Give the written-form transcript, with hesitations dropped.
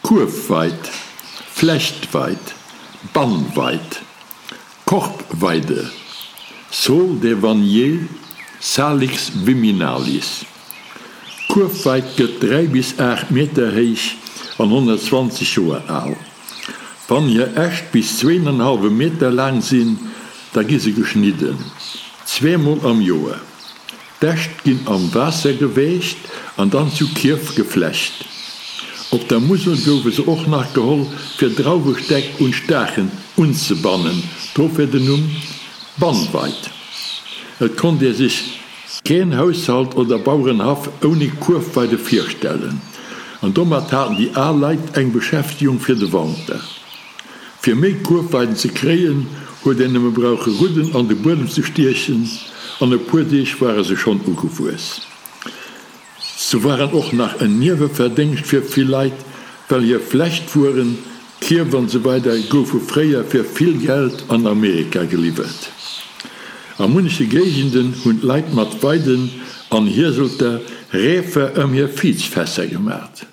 Kuerfweid, Flechtweid, Bannweid, Korbweide, Saule des Vanniers, Salix viminalis. D'Kuerfweid gëtt 3 bis 8 Meter héich an 120 Joer al. Wann hir Äscht bis zween an hallwe Meter laang sinn, da gi se geschnidden, zweemol am Joer. D'Äscht ginn am Waasser gewächt an dann zu Kierf geflecht. Op der Musel goufe se och nach geholl fir Drauwestäck un Staachen unzebannen, dofir den Numm Bannweid. Et konnt ee sech keen Haushalt oder Bauerenhaff ouni Kuerfweide virstellen, an domat haten déi al Leit eng Beschäftegung fir de Wanter. Fir méi Kuerfweiden ze kréien, huet een nëmme brauche Rudden an de Buedem ze stiechen, an e puer Deeg ware se schonn ugewuess. Se waren och nach en Nieweverdéngscht fir vill Leit, well hir Flechtwueren, Kierf an esou weider goufe fréier fir vill Geld an Amerika geliwwert. A munneche Géigenden hunn d'Leit mat Weiden an Hieselter Reefer ëm hir Viizfässer gemat.